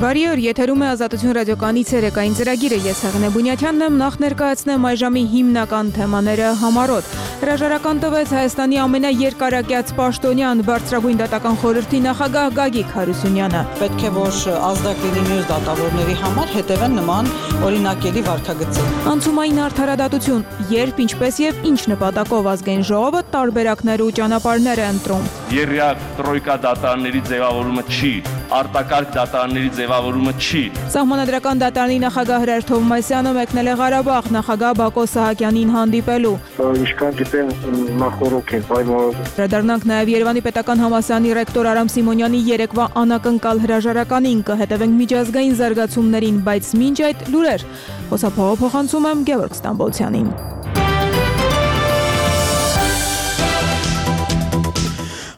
Բարի օր, եթերում է Ազատություն ռադիոկայանի ցերեկային ծրագիրը, ես Հեղինե Բունյաթյանն եմ, նախ ներկայացնեմ այժմի հիմնական թեմաները համառոտ։ Հրաժարական տվեց Հայաստանի ամենաերկարակյաց պաշտոնյան բարձրագույն դատական խորհրդի նախագահ Գագիկ Հարությունյանը։ Պետք է որ ազդակ լինի մյուս դատավորների համար հետևեն նման օրինակելի վարքագծի։ Անցումային արդարադատություն, երբ, ինչպես եւ ինչ նպատակով ազգային ժողովը տարբերակներ ու ճանապարհներ է ընտրում։ Երրորդ տրոյկա դատարանների ձևավորումը չի, արտակարգ դատարանների ձևավորումը չի։ Սահմանադրական դատարանի նախագահ Հրեր Թովմասյանը մեկնել է Ղարաբաղ նախագահ Բակո Սահակյանին հանդիպելու։ Ինչքան գիտեմ, նախորոք են պայմանավորվում։ Վերադառնանք նաև Երևանի պետական համալսարանի ռեկտոր Արամ Սիմոնյանի երեկվա անակնկալ հրաժարականին, կհետևենք միջազգային զարգացումներին, բայց մինչ այդ լուրեր։ Խոսափողը փոխանցում եմ Գևորգ Ստամբոլցյանին։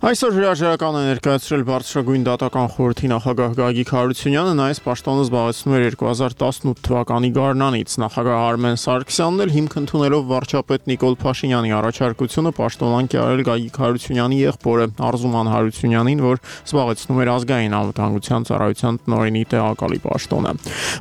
Այսօր հրաժարական է ներկայացրել բարձրագույն դատական խորհրդի նախագահ Գագիկ Հարությունյանը, նա այս պաշտոնը զբաղեցնում էր 2018 թվականի գարնանից։ Նախագահ Արմեն Սարգսյանն էլ հիմք ընդունելով վարչապետ Նիկոլ Փաշինյանի առաջարկությունը պաշտոնանկ է արել Գագիկ Հարությունյանի եղբորը Արզուման Հարությունյանին, որ զբաղեցնում էր ազգային անվտանգության ծառայության տնօրենի տեղակալի պաշտոնը։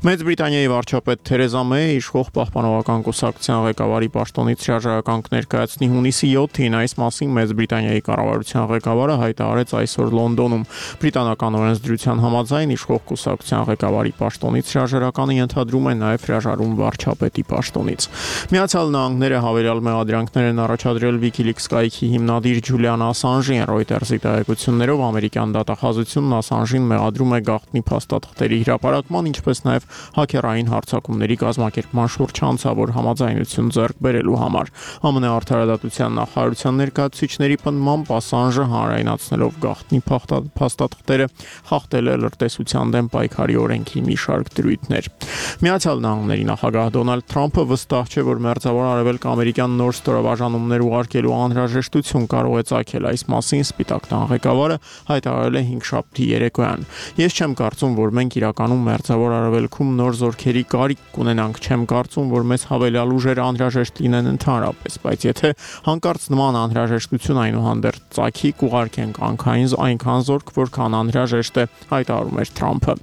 Մեծ Բրիտանիայի վարչապետ Թերեզա Մեյը իշխող պահպանողական կուսակցության ղեկավարի պաշտոնից հրաժարական կներկայացնի հունիսի 7-ին, այս մասին Մեծ Բրիտանիայի կառավարության ղեկավարը հայտարարեց այսօր Լոնդոնում։ Բրիտանական օրենսդրության համաձայն իշխող կուսակցության ղեկավարի պաշտոնից հրաժարականը ենթադրում է նաև հրաժարում վարչապետի պաշտոնից։ Միացյալ Նահանգները հավելյալ մեղադրանքներ են առաջադրել WikiLeaks կայքի հիմնադիր Ջուլիան Ասանժին։ Reuters-ի տեղեկություններով ամերիկյան դատախազությունն Ասանժին մեղադրում է գաղտնի փաստաթղթերի հրապարակման, ինչպես նաև հաքերային հարձակումների կազմակերպման շուրջ հանցավոր համաձայնություն ձեռք բերելու համար։ ԱՄՆ արդարադատության նախարարության ներկայացուցիչների պնդմամբ Ասանժը հանրայնացնելով գաղտնի փաստաթղթերը խախտել է լրտեսության դեմ պայքարի օրենքի մի շարք դրույթներ։ Միացյալ Նահանգների նախագահ Դոնալդ Թրամփը վստահ չէ, որ Մերձավոր Արևելք ամերիկյան նոր ստորաբաժանումներ ուղարկելու անհրաժեշտություն կարող է ծագել։ Այս մասին Սպիտակ տան ղեկավարը հայտարարել է հինգշաբթի երեկոյան։ Ես չեմ կարծում, որ մենք իրականում Մերձավոր Արևելքում նոր զորքերի կարիք կունենանք, չեմ կարծում, որ մեզ հավելյալ ուժերը անհրաժեշտ լինեն ընդհանրապես, բայց եթե հանկարծ նման անհրաժեշտություն այնուհանդերձ ծագի, կուղարկենք այնքան զորք, որքան անհրաժեշտ է, հայտարարում էր Թրամփը։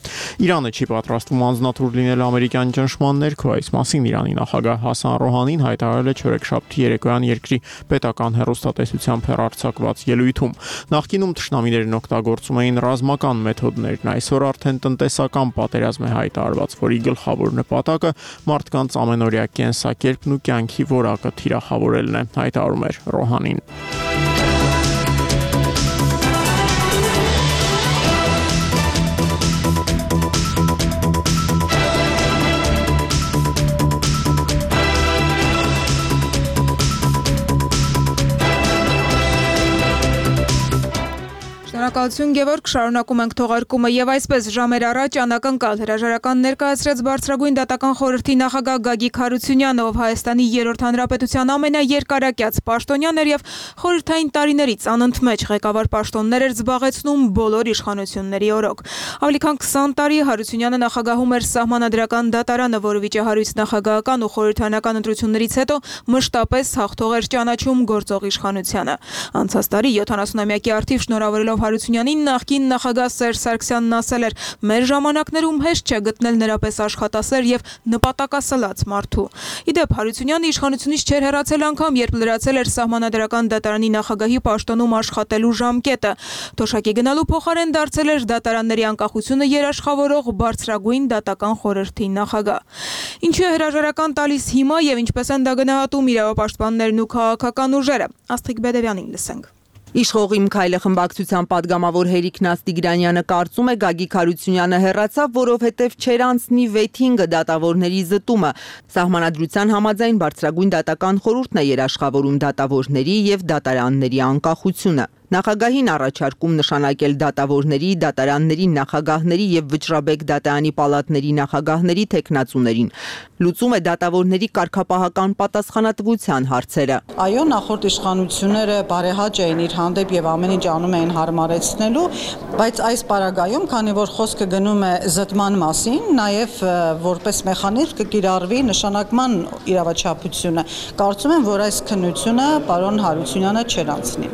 Իրանը չի պատրաստվում անձնատուր լինել ամերիկյան ճնշման ներքո, այս մասին Իրանի նախագահ Հասան Ռոհանին հայտարարել է չորեքշաբթի երեկոյան երկրի պետական հեռուստատեսությամբ հեռարձակված ելույթում։ Նախկինում թշնամիներն օգտագործում էին ռազմական մեթոդներն, այսօր արդեն տնտեսական պատերազմ է հայտարարված, որի գլխավոր նպատակը մարդկանց ամենօրյա կենսակերպն ու կյանքի որակը թիրախավորելն է, հայտարարում էր Ռոհանին։ Շնորհակալություն Գևորգ, շարունակում ենք թողարկումը եւ այսպես ժամեր առաջ անակնկալ հրաժարական ներկայացրեց բարձրագույն դատական խորհրդի նախագահ Գագիկ Հարությունյանը, ով Հայաստանի երրորդ հանրապետության ամենաերկարակյաց պաշտոնյան էր եւ խորհրդային տարիներից անընդմեջ ղեկավար պաշտոններ էր զբաղեցնում բոլոր իշխանությունների օրոք։ Ավելի քան 20 տարի Հարությունյանը նախագահում էր Սահմանադրական դատարանը, որը վիճահարույց նախագահական ու խորհրդարանական ընտրություններից հետո մշտապես հաղթող էր ճանաչում գործող իշխանությանը։ Անցած տարի 70-ամյակի արդիվ շնորհավորելով Հարությունյանին նախկին նախագահ Սերժ Սարգսյանն ասել էր. «Մեր ժամանակներում հեշտ չէ գտնել նրա պես աշխատասեր եւ նպատակասլաց մարդու»։ Իդեպ Հարությունյանը իշխանությունից չէր հեռացել անգամ, երբ լրացել էր Սահմանադրական դատարանի նախագահի պաշտոնում աշխատելու ժամկետը։ Թոշակի գնալու փոխարեն դարձել էր դատարանների անկախությունը երաշխավորող բարձրագույն դատական խորհրդի նախագահ։ Ինչու է հրաժարական տալիս հիմա եւ ինչպես են դա գնահատում իրավապաշտպաններն ու քաղաքական ուժերը։ Աստղիկ Բեդևյանին լսենք։ Իշխող Իմ քայլը խմբակցության падգամավոր Հերիկ Նաստիգրանյանը կարծում է Գագիկ Հարությունյանը հեռացավ, որովհետև չեր անցնի 6-5 դատավորների զտումը։ Սահմանադրության համաձայն բարձրագույն դատական խորհուրդն է երաշխավորում դատավորների եւ դատարանների անկախությունը։ Նախագահին առաջարկում նշանակել դատավորների, դատարանների նախագահների եւ Վճռաբեկ դատարանի պալատների նախագահների թեկնածուներին։ Լուծում է դատավորների կարգապահական պատասխանատվության հարցերը։ Այո, նախորդ իշխանությունները բարեհաճ էին իր հանդեպ եւ ամեն ինչ անում էին հարմարեցնելու, բայց այս պարագայում, քանի որ խոսքը գնում է զտման մասին, նաեւ որպես մեխանիզմ կկիրառվի նշանակման իրավաչափությունը, կարծում եմ, որ այս քննությունը պարոն Հարությունյանը չեր անցնի։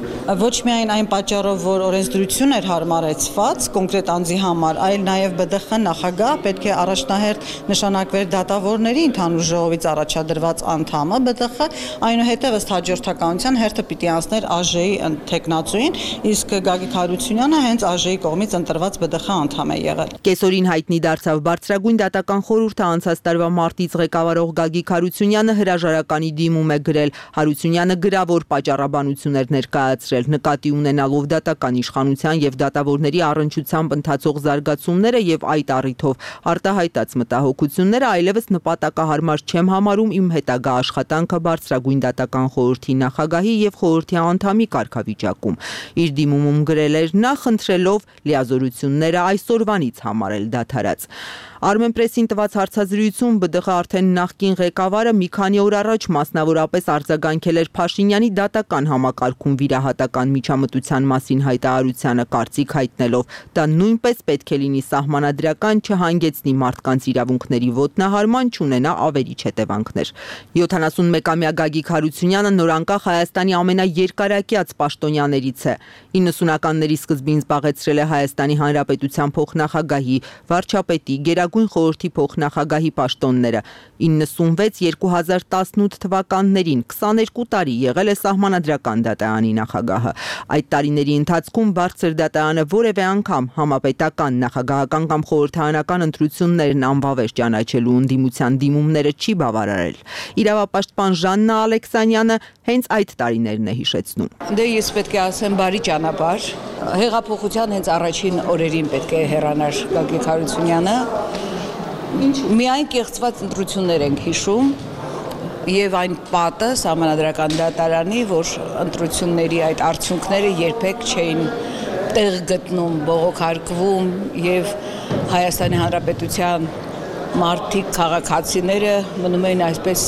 Ոչ միայն միայն այն պատճառով, որ օրենսդրություն էր հարմարեցված կոնկրետ անձի համար, այլ նաև ԲԴԽ նախագահ պետք է առաջնահերթ նշանակվեր դատավորների ընդհանուր ժողովից առաջադրված անդամը ԲԴԽ, այնուհետև ըստ հաջորդականության հերթը պիտի անցներ ԱԺ-ի թեկնածուին, իսկ Գագիկ Հարությունյանը հենց ԱԺ-ի կողմից ընտրված ԲԴԽ անդամ է եղել։ Կեսօրին հայտնի դարձավ Բարձրագույն դատական խորհուրդը անցած տարվա մարտից ղեկավարող Գագիկ Հարությունյանը հրաժարականի դիմում է գրել։ Հարությունյանը գրավոր պատճառաբանություն էր ներկայացրել, նկատի ունենալով դատական իշխանության եւ դատավորների առնչությամբ ընթացող զարգացումները եւ այդ առիթով արտահայտած մտահոգությունները այլևս նպատակահարմար չեմ համարում իմ հետագա աշխատանքը Բարձրագույն դատական խորհրդի նախագահի եւ խորհրդի անդամի կարգավիճակում։ Իր դիմումում գրել էր նա խնդրելով լիազորությունները այսօրվանից համարել դադարած։ Armenpress-ին տված հարցազրույցում ԲԴԽ արդեն նախկին ղեկավարը մի քանի օր առաջ մասնավորապես արձագանքել էր Փաշինյանի դատական համակարգում վիրահատական միջամտության մասին հայտարարությանը կարծիք հայտնելով դա նույնպես պետք է լինի սահմանադրական, չհանգեցնի մարդկանց իրավունքների ոտնահարման, չունենա ավերիչ հետևանքներ։ 71-ամյա Գագիկ Հարությունյանը նորանկախ Հայաստանի ամենաերկարակյաց պաշտոնյաներից է։ 90-ականների սկզբին զբաղեցրել է Հայաստանի Հանրապետության փոխնախագահի, վարչապետի, Գերագույն խորհրդի փոխնախագահի պաշտոնները։ 96-2018 թվականներին 22 տարի եղել է Սահմանադրական դատարանի նախագահը։ Այդ տարիների ընթացքում Բարձր դատարանը որևէ անգամ համապետական, նախագահական կամ խորհրդարանական ընտրություններն անվավեր ճանաչելու ընդդիմության դիմումները չի բավարարել։ Իրավապաշտպան Ժաննա Ալեքսանյանը հենց այդ տարիներն է հիշեցնում։ Դե ես պետք է ասեմ բարի ճանապարհ։ Հեղափոխության հենց առաջին օրերին պետք է հեռանար Գագիկ Հարությունյանը։ Միայն կեղծված ընտրություններ ենք հիշում եւ այն պատը Սահմանադրական դատարանի, որ ընտրությունների այդ արդյունքները երբեք չէին տեղ գտնում, բողոքարկվում եւ Հայաստանի Հանրապետության մարդիկ, քաղաքացիները մնում էին այսպես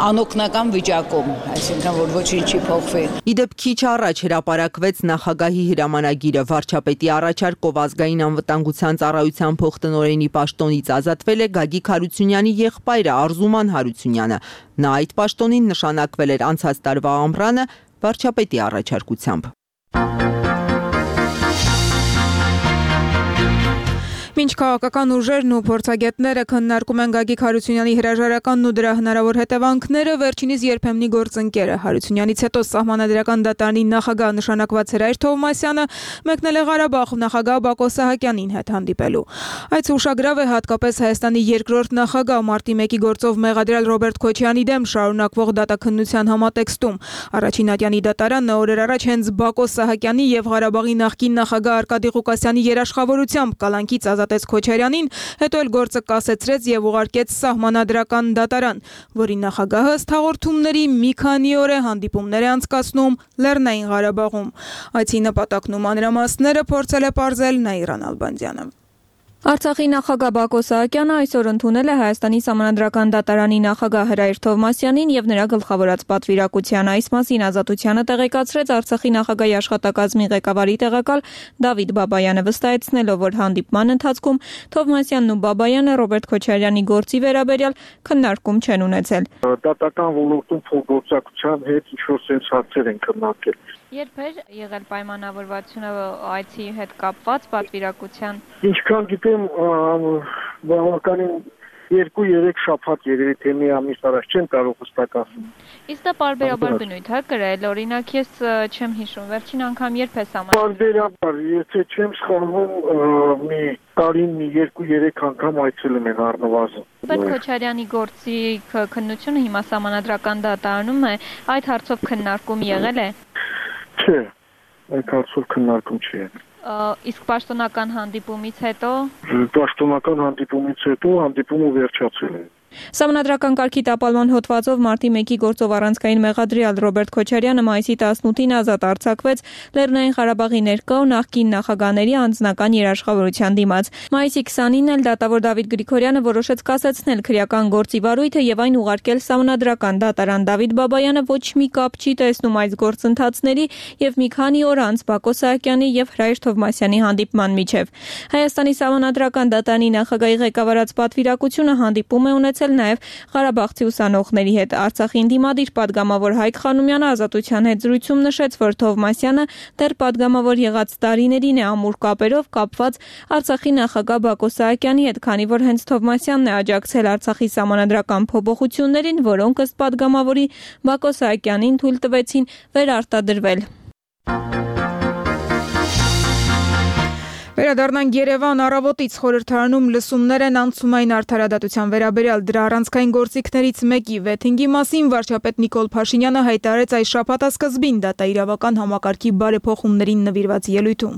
անօգնական վիճակում, այսինքն որ ոչինչ չի փոխվի։ Իդեպ քիչ առաջ հրապարակվեց նախագահի հրամանագիրը, վարչապետի առաջարկով ազգային անվտանգության ծառայության փոխտնօրենի պաշտոնից ազատվել է Գագիկ Հարությունյանի եղբայրը Արզուման Հարությունյանը։ Նա այդ պաշտոնին նշանակվել էր անցած տարվա ամռանը վարչապետի առաջարկությամբ։ Մինչ քաղաքական ուժերն ու փորձագետները քննարկում են Գագիկ Հարությունյանի հրաժարականն ու դրա հնարավոր հետևանքները, վերջինիս երբեմնի գործընկերը Հարությունյանից հետո Սահմանադրական դատարանի նախագահ նշանակված Հրայր Թովմասյանը մեկնել է Ղարաբաղ նախագահ Բակո Սահակյանին հետ հանդիպելու։ Այդ ուշագրավ է հատկապես Հայաստանի երկրորդ նախագահ մարտի 1-ի գործով մեղադրյալ Ռոբերտ Քոչարյանի դեմ շարունակվող դատաքննության համատեքստում։ Առաջին ատյանի դատարանը օրեր առաջ հենց Բակո Սահակյանի եւ Ղարաբաղի նախկին նախագահ Արկադի Ղուկասյանի երաշխավորությամբ կալանքից ազատեց Քոչարյանին, հետո էլ գործը կասեցրեց եւ ուղարկեց Սահմանադրական դատարան, որի նախագահը ըստ հաղորդումների մի քանի օր է հանդիպումներ է անցկացնում Լեռնային Ղարաբաղում։ Այցի նպատակն ու մանրամասները փորձել է պարզել Նաիրան Ալբանդյանը։ Արցախի նախագահ Բակո Սահակյանը այսօր ընդունել է Հայաստանի Սահմանադրական դատարանի նախագահ Հրայր Թովմասյանին եւ նրա գլխավորած պատվիրակության։ Այս մասին Ազատությանը տեղեկացրեց Արցախի նախագահի աշխատակազմի ղեկավարի տեղակալ Դավիթ Բաբայանը, վստահեցնելով, որ հանդիպման ընթացքում Թովմասյանն ու Բաբայանը Ռոբերտ Քոչարյանի գործի վերաբերյալ քննարկում չեն ունեցել։ Դատական ոլորտում փոխգործակցության հետ ինչ-որ sense հարցեր են քննարկել։ Երբ էր եղել պայմանավորվածությունը այցի հետ կապված պատվիրակության։ Ինչքան գիտեմ, բավականին 2-3 շաբաթ երևի թե մի ամիս առաջ չեմ կարող հստակ ասել։ Իսկ դա պարբերաբար բնույթ է կրել, օրինակ ես չեմ հիշում, վերջին անգամ երբ է սահմանվել։ Պարբերաբար, եթե չեմ սխալվում, մի տարին մի 2-3 անգամ այցելում են առնվազն։ Ռոբերտ Քոչարյանի գործի քննությունը հիմա Սահմանադրական դատարանում է, այդ հարցով քննարկում եղել է։ Չէ, այդ հարցով քննարկում չի եղել։ Իսկ պաշտոնական հանդիպումից հետո հանդիպումը վերջացել է։ Սահմանադրական կարգի տապալման հոդվածով մարտի 1-ի գործով առանցքային մեղադրյալ Ռոբերտ Քոչարյանը մայիսի 18-ին ազատ արձակվեց Լեռնային Ղարաբաղի ներկա ու նախկին նախագահների անձնական երաշխավորության դիմաց։ Մայիսի 20-ին էլ դատավոր Դավիթ Գրիգորյանը որոշեց կասեցնել քրեական գործի վարույթը եւ այն ուղարկել Սահմանադրական դատարան։ Դավիթ Բաբայանը ոչ մի կապ չի տեսնում այս գործընթացների եւ մի քանի օր անց Բակո Սահակյանի եւ Հրայր Թովմասյանի հանդիպման միջև։ Հայաստանի Սահմանադրական դատարանի նախագահի ղեկավարած պատվիրակությունը հանդիպում է ունեցել զրուցել նաև Ղարաբաղցի ուսանողների հետ։ Արցախի ընդդիմադիր պատգամավոր Հայկ Խանոմյանը Ազատության հետ զրույցում նշեց, որ Թովմասյանը դեռ պատգամավոր եղած տարիներին է ամուր կապերով կապված Արցախի նախագահ Բակո Սահակյանի հետ, քանի որ հենց Թովմասյանն է աջակցել Արցախի սահմանադրական փոփոխություններին, որոնք ըստ պատգամավորի Բակո Սահակյանին թույլ տվեցին վերարտադրվել։ Վերադառնանք Երևան, առավոտից խորհրդարանում լսումներ են անցումային արդարադատության վերաբերյալ դրա առանցքային գործիքներից մեկի վեթինգի մասին վարչապետ Նիկոլ Փաշինյանը հայտարարեց այս շաբաթասկզբին դատաիրավական համակարգի բարեփոխումներին նվիրված ելույթում։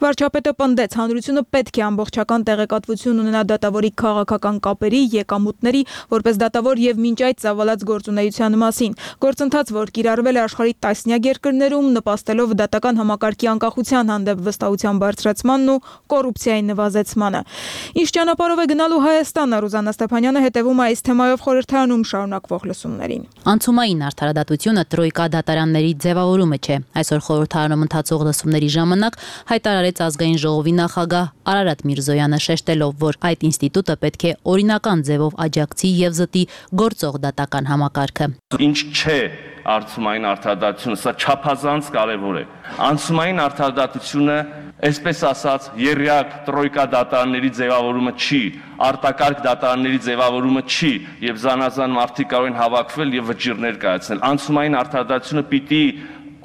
Վարչապետը պնդեց, հանրությունը պետք է ամբողջական տեղեկատվություն ունենա դատավորի քաղաքական կապերի, եկամուտների, որպես դատավոր եւ մինչ այդ ծավալած գործունեության մասին։ Գործընթաց, որ կիրառվել է աշխարհի տասնյակ երկրներում, նպաստելով դատական համակարգի անկախության հանդեպ վստահության բարձրացմանն ու կոռուպցիայի նվազեցմանը։ Ինչ ճանապարհով է գնալու Հայաստանը, Ռուզաննա Ստեփանյանը հետևում է այս թեմայով խորհրդարանում շարունակվող լսումներին։ Անցումային արդարադատությունը տրոյկա դատարանների ձևավորումը չէ։ Այսօր խորհրդարանում ընթացող լսումների ժամանակ հայտարարեց ազգային ժողովի նախագահ Արարատ Միրզոյանը, շեշտելով, որ այդ ինստիտուտը պետք է օրինական ձևով աջակցի եւ զտի գործող դատական համակարգը։ Ինչ չէ անցումային արդարադատությունը, սա չափազանց կարևոր է։ Անցումային արդարադատությունը, այսպես ասած, երրյակ տրոյկա դատարանների ձևավորումը չի, արտակարգ դատարանների ձևավորումը չի, եւ զանազան մարդիկ կարող են հավաքվել եւ վճիռներ կայացնել։ Անցումային արդարադատությունը պիտի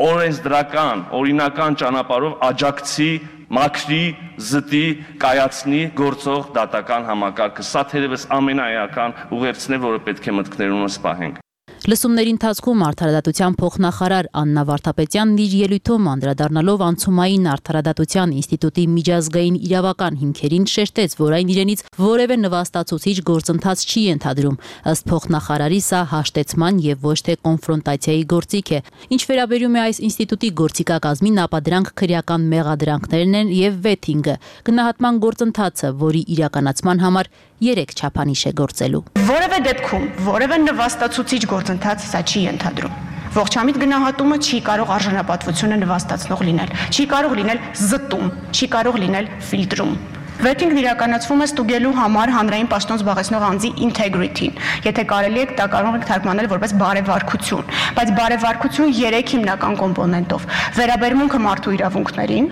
օրենսդրական, օրինական ճանապարհով աջակցի, մաքրի, զտի, կայացնի գործող դատական համակարգը։ Սա թերևս ամենաէական ուղերձն է, որը պետք է մտքներումս պահենք։ Լսումների ընթացքում արդարադատության փոխնախարար Աննա Վարդապետյանն իր ելույթում անդրադառնալով անցումային արդարադատության ինստիտուտի միջազգային իրավական հիմքերին շեշտեց, որ այն իրենից որևէ նվաստացուցիչ գործընթաց չի ենթադրում։ Ըստ փոխնախարարի, սա հաշտեցման եւ ոչ թե կոնֆրոնտացիայի գործիք է։ Ինչ վերաբերում է այս ինստիտուտի գործիքակազմին, ապա դրանք քրեական մեղադրանքներն են եւ վեթինգը, գնահատման գործընթացը, որի իրականացման համար 3 չափանիշ է գործելու։ Որևէ դեպքում որևէ նվաստացուցիչ գործընթաց սա չի ենթադրում։ Ողջամիտ գնահատումը չի կարող արժանապատվությունը նվաստացնող լինել, չի կարող լինել զտում, չի կարող լինել ֆիլտրում։ Վեթինգն իրականացվում է ստուգելու համար հանրային պաշտոն զբաղեցնող անձի integrity-ին։ Եթե կարելի է, դա կարող եք թարգմանել որպես բարեվարքություն, բայց բարեվարքություն 3 հիմնական կոմպոնենտով՝ վերաբերմունքը մարդու իրավունքներին,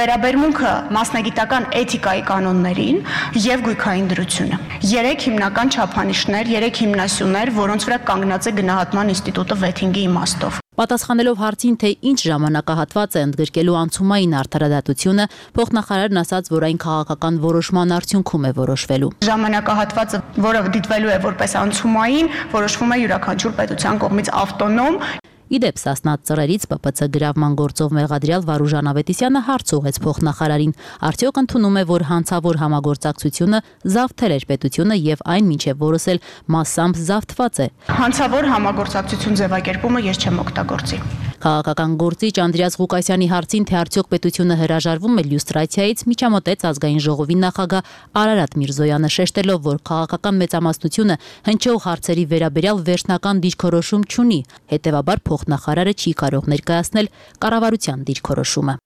վերաբերմունքը մասնագիտական էթիկայի կանոններին եւ գույքային դրությունը։ 3 հիմնական չափանիշներ, 3 հիմնասյուներ, որոնց վրա կանգնած է գնահատման ինստիտուտը վեթինգի իմաստով։ Պատասխանելով հարցին, թե ինչ ժամանակահատված է ընդգրկելու անցումային արդարադատությունը, փոխնախարարն ասաց, որ այն քաղաքական որոշման արդյունքում է որոշվելու։ Ժամանակահատվածը, որը դիտվելու է որպես անցումային, որոշվում է յուրաքանչյուր պետության կողմից ավտոնոմ։ Իդեպ Սասնա ծռերից ՊՊՑ գրավման գործով մեղադրյալ Վարուժան Ավետիսյանը հարց ուղղեց փոխնախարարին։ Արդյոք ընդունում է, որ հանցավոր համագործակցությունը զավթել էր պետությունը եւ այն մինչեւ որս էլ մասամբ զավթված է։ Հանցավոր համագործակցություն ձևակերպումը ես չեմ օգտագործի։ Քաղաքական գործիչ Անդրեաս Ղուկասյանի հարցին, թե արդյոք պետությունը հրաժարվում է լյուստրացիայից, միջամտեց ազգային ժողովի նախագահ Արարատ Միրզոյանը, շեշտելով, որ քաղաքական մեծամասնությունը հնչող հարցերի վերաբերյալ վերջնական դիրքորոշում չունի, հետևաբար փոխնախարարը չի կարող ներկայացնել կառավարության դիրքորոշումը։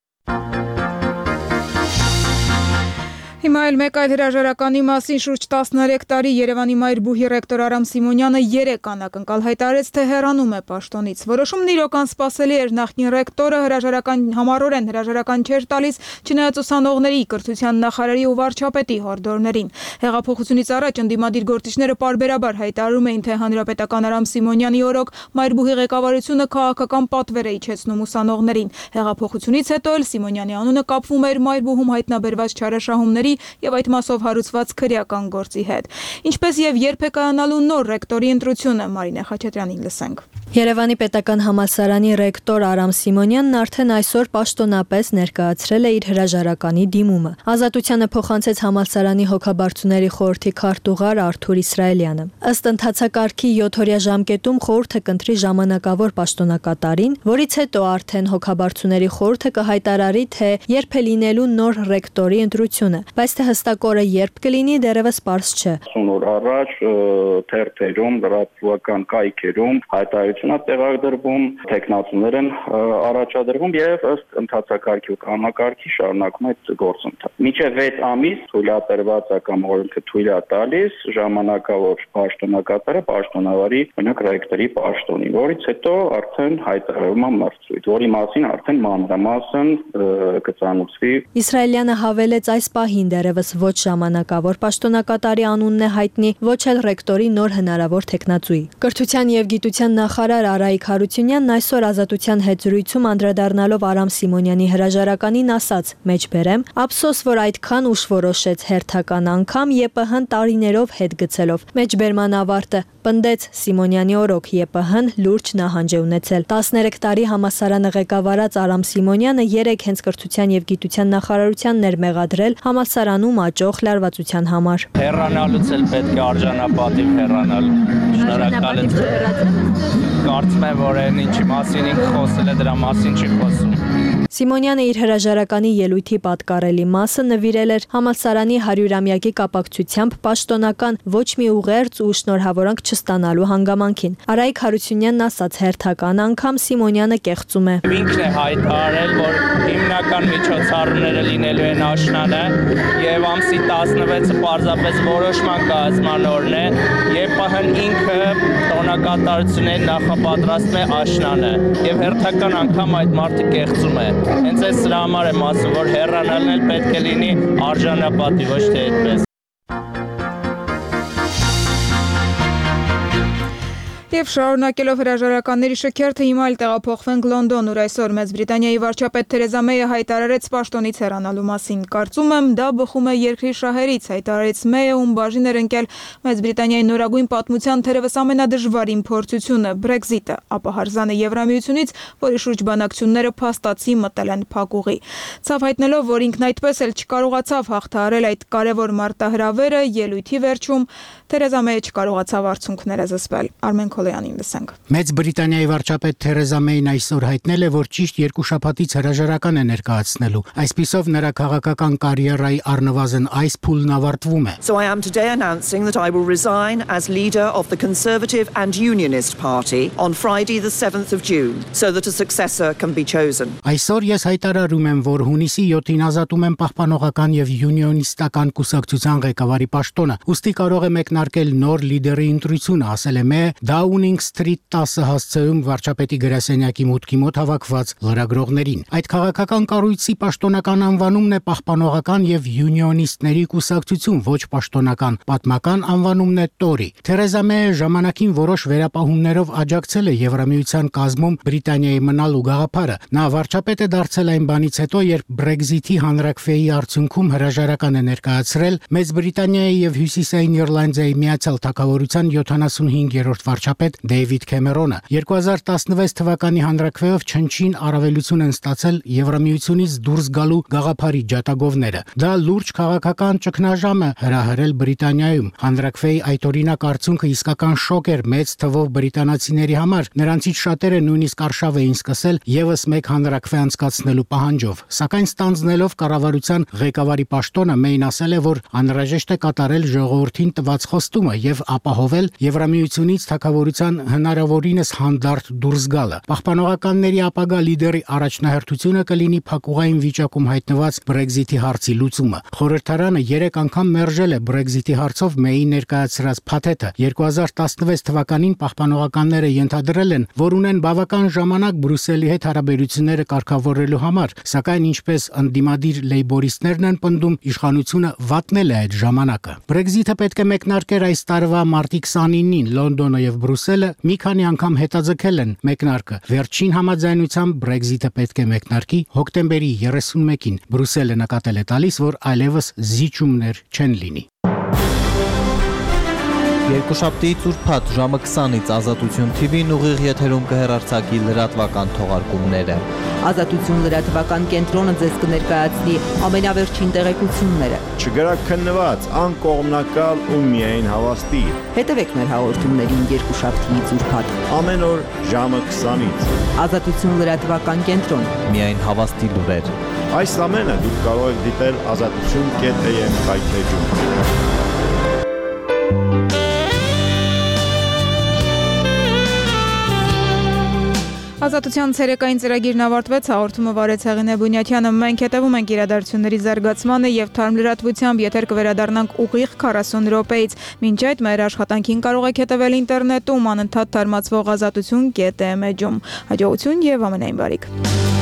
Հիմա էլ մեկ այլ հրաժարականի մասին շուրջ 13 տարի Երևանի Մայրբուհի ռեկտոր Արամ Սիմոնյանը 3 անակնկալ հայտարարեց, թե հեռանում է պաշտոնից։ Որոշումն իրոք անսպասելի էր, նախկին ռեկտորը համառորեն հրաժարական չէր տալիս, չնայած ուսանողների, կրթության նախարարի ու վարչապետի հորդորներին։ Հեղափոխությունից առաջ ընդդիմադիր գործիչները պարբերաբար հայտարարում էին, թե հանրապետական Արամ Սիմոնյանի օրոք Մայրբուհի ղեկավարությունը քաղաքական պատվեր է իջեցնում ուսանողներին։ Հեղափոխությունից հետո էլ Սիմոնյանի անունը կապվում էր Մայրբուհում հայտնաբերված չարաշահումների եւ այդ մասով հարուցված քրեական գործի հետ։ Ինչպես եւ երբ է կայանալու նոր ռեկտորի ընտրությունը, Մարինե Խաչատրյանին լսենք։ Երևանի պետական համալսարանի ռեկտոր Արամ Սիմոնյանն արդեն այսօր պաշտոնապես ներկայացրել է իր հրաժարականի դիմումը։ Ազատությանը փոխանցեց համալսարանի հոգաբարձուների խորհրդի քարտուղար Արթուր Իսրայելյանը։ Ըստ ընթացակարգի 7-օրյա ժամկետում խորհուրդը կընտրի ժամանակավոր պաշտոնակատարին, որից հետո արդեն հոգաբարձուների խորհուրդը կհայտարարի, թե երբ է լինելու նոր ռեկտորի ընտրությունը, բայց թե հստակ օրը երբ կլինի, դեռևս պարզ չէ։ Օր առաջ թերթերում, լրատվական կայքերում հայտարարություն վստահություն է տեղադրվում, տեխնացուներ են առաջադրվում եւ ըստ ընթացակարգի ու կանոնակարգի շարունակում է այդ գործընթացը։ Մինչեւ 6 ամիս թույլատրված է կամ օրենքը թույլ է տալիս ժամանակավոր պաշտոնակատարը պաշտոնավարի օրինակ ռեկտորի պաշտոնին, որից հետո արդեն հայտարարվում է մրցույթ, որի մասին արդեն մանրամասն կծանուցվի։ Իսրայելյանը հավելեց այս պահին դեռևս ոչ ժամանակավոր պաշտոնակատարի անունն է հայտնի, ոչ էլ ռեկտորի նոր հնարավոր տեխնացուի։ Կրթության եւ գիտության նախարար Արայիկ Հարությունյանն այսօր Ազատության հետ զրույցում անդրադառնալով Արամ Սիմոնյանի հրաժարականին ասաց. «Մեջբերեմ, ափսոս, որ այդքան ուշ որոշեց հերթական անգամ ԵՊՀ-ն տարիներով հետ գցելով։ Մեջբերման ավարտը պնդեց Սիմոնյանի օրոք ԵՊՀ-ն լուրջ նահանջ է ունեցել։ 13 տարի համալսարանը ղեկավարած Արամ Սիմոնյանը 3 հենց կրթության եւ գիտության նախարարությանն էր մեղադրել համալսարանում աճող լարվածության համար։ Հեռանալուց էլ պետք է արժանապատիվ հեռանալ։ Շնորհակալ եմ։ Կարծում եմ, որ այն ինչի մասին ինքը խոսել է, դրա մասին չի խոսում։ Սիմոնյանը իր հրաժարականի ելույթի պատկառելի մասը նվիրել էր համալսարանի 100-ամյակի կապակցությամբ պաշտոնական ոչ մի ուղերձ ու շնորհավորանք չստանալու հանգամանքին։ Արայիկ Հարությունյանն ասաց հերթական անգամ Սիմոնյանը կեղծում է։ Ինքն է հայտարարել, որ հիմնական միջոցառումները լինելու են աշնանը եւ ամսի 16-ը պարզապես որոշման կայացման օրն է, ԵՊՀ-ն ինքը տոնակատարություններ նախապատրաստում է աշնանը եւ հերթական անգամ այդ մարդը կեղծում է։ Հենց այս սրա համար եմ ասում, որ հեռանալն էլ պետք է լինի արժանապատիվ, ոչ թե այդպես։ Եվ շարունակելով հրաժարականների շքերթը հիմա էլ տեղափոխվենք Լոնդոն, ուր այսօր Մեծ Բրիտանիայի վարչապետ Թերեզա Մեյը հայտարարեց պաշտոնից հեռանալու մասին։ Կարծում եմ, դա բխում է երկրի շահերից, հայտարարեց Մեյը, ում բաժին էր ընկել Մեծ Բրիտանիայի նորագույն պատմության թերևս ամենադժվար փորձությունը՝ Brexit-ը, ապա հարզանը Եվրամիությունից, որի շուրջ բանակցությունները փաստացի մտել են փակուղի։ Ցավ հայտնելով, որ ինքն այդպես էլ չկարողացավ հաղթահարել այդ կարևոր մարտահրավերը, ելույթի վերջում Թերեզա Մեյը չկարողացավ արդյունքները զսպել։ Արմեն Քոլյանին լսենք։ Մեծ Բրիտանիայի վարչապետ Թերեզա Մեյն այսօր հայտնել է, որ ճիշտ 2 շաբաթից հրաժարական է ներկայացնելու։ Այսպիսով նրա քաղաքական կարիերայի առնվազն այս փուլն ավարտվում է։ So I am today announcing that I will resign as leader of the Conservative and Unionist Party on Friday the 7th of June so that a successor can be chosen. Այսօր ես հայտարարում եմ, որ հունիսի 7-ին ազատում եմ պահպանողական եւ յունիոնիստական կուսակցության ղեկավարի պաշտոնը։ Ուստի կարող է մեկնարկել նոր լիդերի ընտրությունը, ասել է Մեյը Downing Street 10 հասցեում վարչապետի գրասենյակի մուտքի մոտ հավաքված լրագրողներին։ Այդ քաղաքական կառույցի պաշտոնական անվանումն է պահպանողական եւ յունիոնիստների կուսակցություն, ոչ պաշտոնական։ Պատմական անվանումն է Tory։ Թերեզա Մեյը ժամանակին որոշ վերապահումներով աջակցել է Եվրամիության կազմում Բրիտանիայի մնալու գաղափարը։ Նա վարչապետ է դարձել այն բանից հետո, երբ Brexit-ի հանրակրվեի արդյունքում հրաժարական է ներկայացրել Մեծ Բրիտանիայի եւ Հյուսիսային Իռլանդիայի Միացյալ Թագավորության 75-րդ վարչապետ Դեյվիդ Քեմերոնը 2016 թվականի հանրակրվեով չնչին առավելություն են ստացել Եվրամիությունից դուրս գալու գաղափարի ջատագովները։ Դա լուրջ քաղաքական ճգնաժամ է հրահրել Բրիտանիայում։ Հանրակրվեի այդ օրինակ արդյունքը իսկական շոկ էր մեծ թվով բրիտանացիների համար։ Նրանցից շատերը նույնիսկ արշավ էին սկսել եւս մեկ հանրակրվե անցկացնելու պահանջով։ Սակայն ստանձնելով կառավարության ղեկավարի պաշտոնը Մեյն ասել է, որ անհրաժեշտ է կատարել ժողովրդին տված խոստումը եւ ապահովել Եվրամիությունից թագավորության հնարավորինս հանդարտ դուրս գալը։ Պահպանողականների ապագա լիդերի առաջնահերթությունը կլինի փակուղային վիճակում հայտնված Brexit-ի հարցի լուծումը։ Խորհրդարանը 3 անգամ մերժել է Brexit-ի հարցով Մեյի ներկայացրած փաթեթը։ 2016 թվականին պահպանողականները ենթադրել են, որ ունեն բավական ժամանակ Բրյուսելի հետ հարաբերությունները կարգավորելու համար, սակայն ինչպես ընդդիմադիր լեյբորիստներն են պնդում, իշխանությունը վատնել է այդ ժամանակը։ Brexit-ը պետք է մեկնարկեր այս տարվա մարտի 29-ին Լոնդոնը եւ Բրյուսելը մի քանի անգամ հետաձգել են մեկնարկը։ Վերջին համաձայնությամբ Brexit-ը պետք է մեկնարկի հոկտեմբերի 31-ին։ Բրյուսելը նկատել է տալիս, որ այլևս զիջումներ չեն լինի։ Երկուշաբթի ծուրփաթ ժամը 20-ից Ազատություն TV-ն ուղիղ եթերում կհեռարձակի լրատվական թողարկումները։ Ազատություն լրատվական կենտրոնը ձեզ կներկայացնի ամենավերջին տեղեկությունները։ Չգրաքննված, անկողմնակալ ու միայն հավաստի։ Հետևեք մեր հաղորդումներին երկուշաբթի ծուրփաթ ամեն օր ժամը 20-ից։ Ազատություն լրատվական կենտրոն։ Միայն հավաստի լուրեր։ Այս ամենը դուք կարող եք դիտել azatutun.am հայթեջում։ Ազատության ցերեկային ծրագիրն ավարտվեց, հաղորդումը վարեց Հեղինե Բունյաթյանը։ Մենք հետևում ենք իրադարձությունների զարգացմանը եւ թարմ լրատվությամբ եթեր կվերադառնանք ուղիղ 40 րոպեից։ Մինչ այդ մեր աշխատանքին կարող եք հետևել ինտերնետում անընդհատ թարմացվող ազատություն.am էջում։ Հաջողություն եւ ամենայն բարիք։